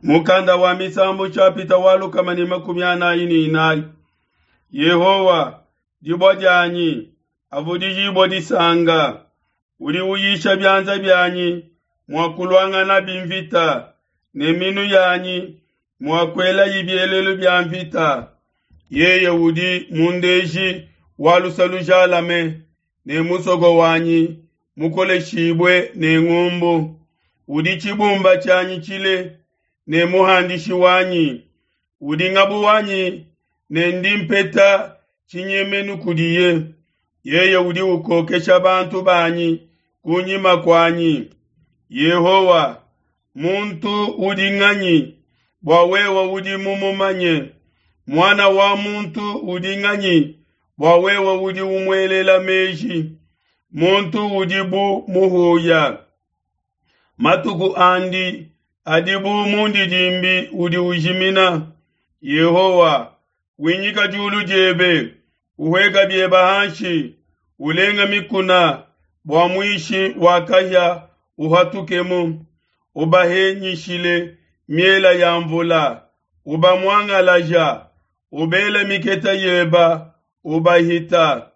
Mukanda wa Misambu nshapita wa 144. Yehowa, dibua dianyi, avudijibua disanka. Udi uyisha bianza bianyi mua kuluanganabi mvita, ne minu yanyi mua kuelayi bielelu bia mvita. Yeye udi mundeji wa luse lujalame, ne musoko wanyi mukoleshibue ne ngumbu. Udi tshibumba tshianyi tshile ne muhandishi wanyi. Udi ngabu wanyi ne ndi mpeta tshinyemenu kudiye. Yeye udi ukokesha bantu banyi kunyima kuanyi. Yehowa, muntu udi nganyi bua wewe udi mumumanye? Muana wa muntu udi nganyi bua wewe udi umuelela meji? Muntu udi bu muhuya, matuku andi adi bu mundidimbi udi ujimina. Yehowa, winyika diulu diebe, uhueka biebe hanshi, ulenga mikuna bua muishi wa kahia uhatukemu. Ubahenyishile miela ya mvula, ubamuangalaja, ubela miketa yeba, ubahita.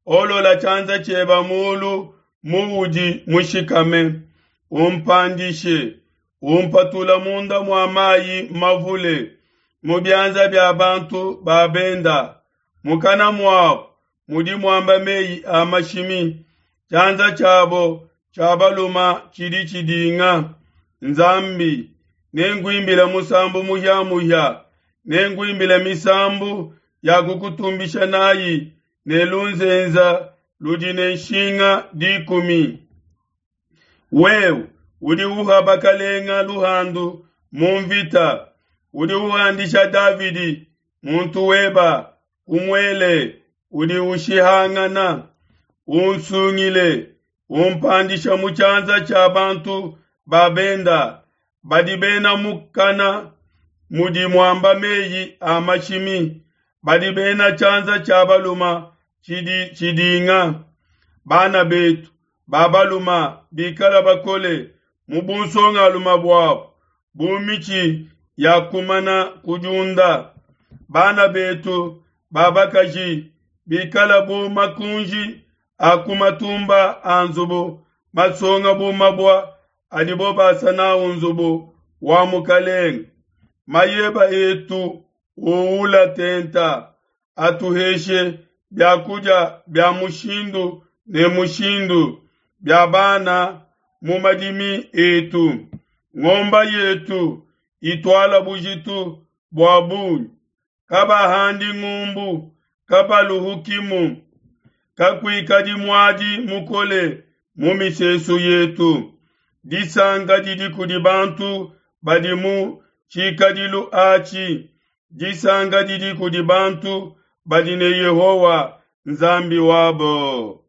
Olola tshianza tshieba mulu muudi mushikame, umpandishe, umpatula munda mua mayi mavule, mu bianza bia bantu ba benda. Mukana muabu mudi muamba meyi a mashimi, tshianza tshiabo tshia baluma tshidi tshidinga. Nzambi, nenkuimbile musambu muhia-muhia, nenkuimbile misambu ya kukutumbisha nayi ne lunzenza ludi ne nshinga 10. Wewe udi uha bakalenga luhandu mu mvita, udi uhandisha Davidi muntu weba ku muele udi ushihangana. Unsungile, umpandisha mu tshianza tshia bantu ba benda, badi bena mukana mudi muamba meyi a mashimi, badi bena tshianza tshia baluma tshidi tshidinga. Bana betu ba baluma bikala bakole mu bunsongalume buabu, bu mitshi ya kumana kudiunda. Bana betu ba bakaji bikala bu makunji a ku matumba a nzubu, masonga bu mabua adibo basa nawu nzubu wa mukalenge. Mayeba etu uula tenta, atuheshe biakudia bia mushindu ne mushindu bia bana mu madimi etu. Ngomba yetu ituala bujitu bua bungi, kabahandi ngumbu, kabaluhukimu, kakuikadi muadi mukole mu misesu yetu. Disanka didi kudi bantu badi mu tshikadilu atshi, disanka didi kudi bantu badi ne Yehowa Nzambi wabo.